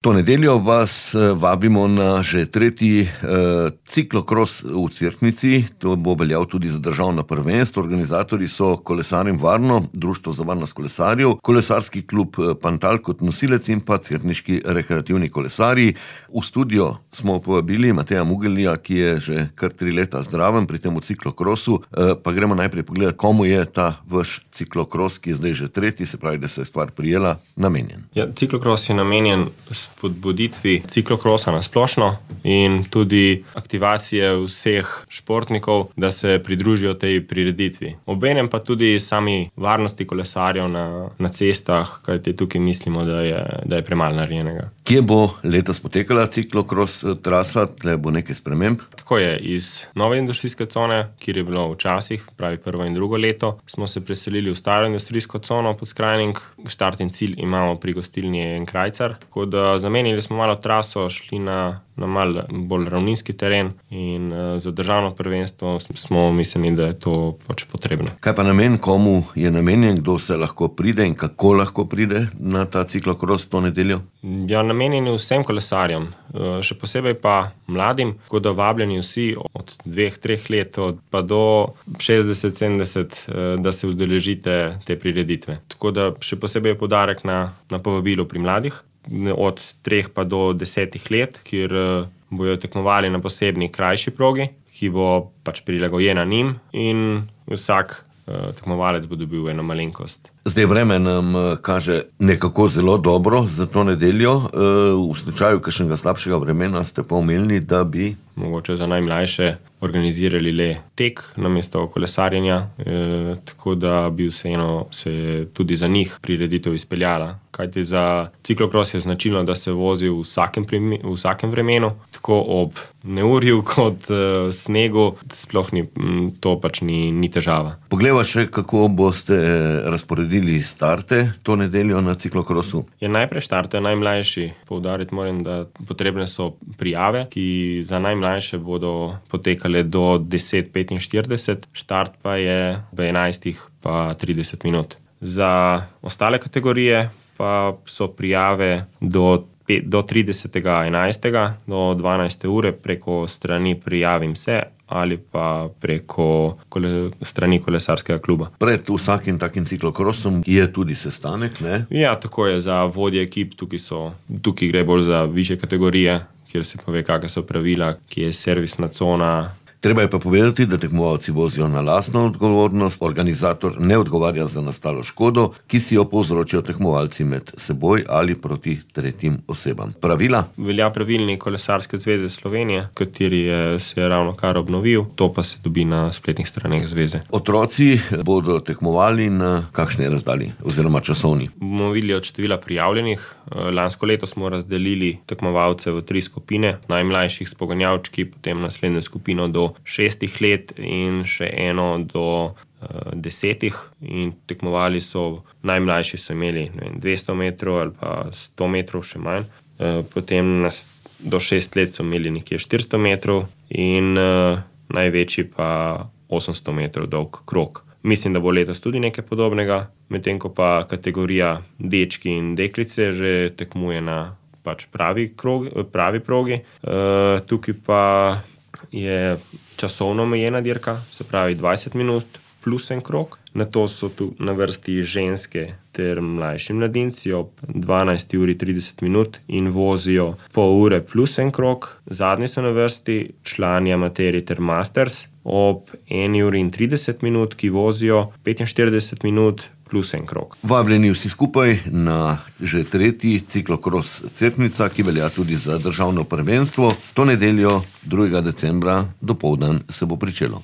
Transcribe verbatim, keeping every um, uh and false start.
To nedeljo vas vabimo na že tretji eh, ciklokros v Cerknici. To bo veljal tudi za državno prvenstvo. Organizatorji so Kolesarjem Varno, Društvo za varnost kolesarjev, Kolesarski klub Pantal kot nosilec in pa Cerkniški rekreativni kolesarji. V studio smo povabili Mateja Mugelija, ki je že kar tri leta zdraven pri tem v ciklokrosu. Eh, pa gremo najprej pogledati, komu je ta vaš ciklokros, ki je zdaj že tretji, se pravi, da se je stvar prijela, namenjen. Ja, ciklokros je namenjen spodbuditvi ciklokrosa na splošno in tudi aktivacije vseh športnikov, da se pridružijo tej prireditvi. Obenem pa tudi sami varnosti kolesarjev na, na cestah, kajti tukaj mislimo, da je, da je premalo narejenega. Kje bo letos potekala ciklokros trasa, tle bo nekaj sprememb? Tako je, iz nove industrijske cone, kjer je bilo včasih, pravi prvo in drugo leto, smo se preselili v staro industrijsko cono pod Skrajning. Štart in cilj imamo pri gostilni En Krajcar, tako da zamenili smo malo traso, šli na, na malo bolj ravninski teren in uh, za državno prvenstvo smo mislili, da je to pač potrebno. Kaj pa namen, komu je namenjen, kdo se lahko pride in kako lahko pride na ta ciklokros to nedeljo? Ja, namenjen je vsem kolesarjem, uh, še posebej pa mladim, tako da vabljeni vsi od dveh, treh let pa do šestdeset, sedemdeset, uh, da se udeležite te prireditve. Tako da še posebej je poudarek na, na povabilu pri mladih, od treh pa do desetih let, kjer bojo tekmovali na posebni krajši progi, ki bo pač prilagojena njim in vsak uh, tekmovalec bo dobil eno malenkost. Zdaj vreme nam kaže nekako zelo dobro za to nedeljo. V slučaju kakšnega slabšega vremena ste pa omenili, da bi mogoče za najmlajše organizirali le tek namesto kolesarjenja, e, tako da bi vseeno se tudi za njih prireditev izpeljala. Kajti za ciklokros je značilno, da se vozi v vsakem, primi, v vsakem vremenu, tako ob neurju kot e, snegu, sploh ni, to pač ni, ni težava. Poglejva še, kako boste razporedili starte to nedeljo na ciklokrosu. Je najprej štarte najmlajši. Poudariti moram, da potrebne so prijave, ki za najmlajše bodo potekale do deset petinštirideset, štart pa je v enajstih pa trideset minut. Za ostale kategorije pa so prijave do, do tridesetega enajstega do dvanajste ure preko strani Prijavim se ali pa preko kole, strani kolesarskega kluba. Pred vsakim takim ciklokrosom je tudi sestanek, ne? Ja, tako je za vodje ekip, tukaj, so, tukaj gre bolj za višje kategorije, kjer se pove, kakšna so pravila, ki je servisna cona. Treba je pa povedati, da tekmovalci vozijo na lastno odgovornost, organizator ne odgovarja za nastalo škodo, ki si jo povzročijo tekmovalci med seboj ali proti tretjim osebam. Pravila? Velja pravilnik Kolesarske zveze Slovenije, kateri je, se je ravno kar obnovil, to pa se dobi na spletnih straneh zveze. Otroci bodo tekmovali na kakšni razdalji oziroma časovni? Bomo videli od števila prijavljenih. Lansko leto smo razdelili tekmovalce v tri skupine, najmlajših s poganjavčki, potem naslednjo skupino do šestih let in še eno do uh, desetih in tekmovali so, najmlajši so imeli ne vem, dvesto metrov ali pa sto metrov, še manj. Uh, potem nas, do šest let so imeli nekje štiristo metrov in uh, največji pa osemsto metrov dolg krog. Mislim, da bo letos tudi nekaj podobnega, medtem ko pa kategorija dečki in deklice že tekmuje na pač pravi, krog, pravi progi. Uh, tukaj pa je časovno omejena dirka, se pravi dvajset minut plus en krog. Na to so tu na vrsti ženske ter mlajši mladinci ob dvanajsti uri trideset minut in vozijo pol ure plus en krog. Zadnji so na vrsti člani amaterji ter masters ob eni uri in trideset minut, ki vozijo petinštirideset minut plus en krog. Vabljeni vsi skupaj na že tretji ciklokros Cerknica, ki velja tudi za državno prvenstvo. To nedeljo drugega decembra dopoldan se bo pričelo.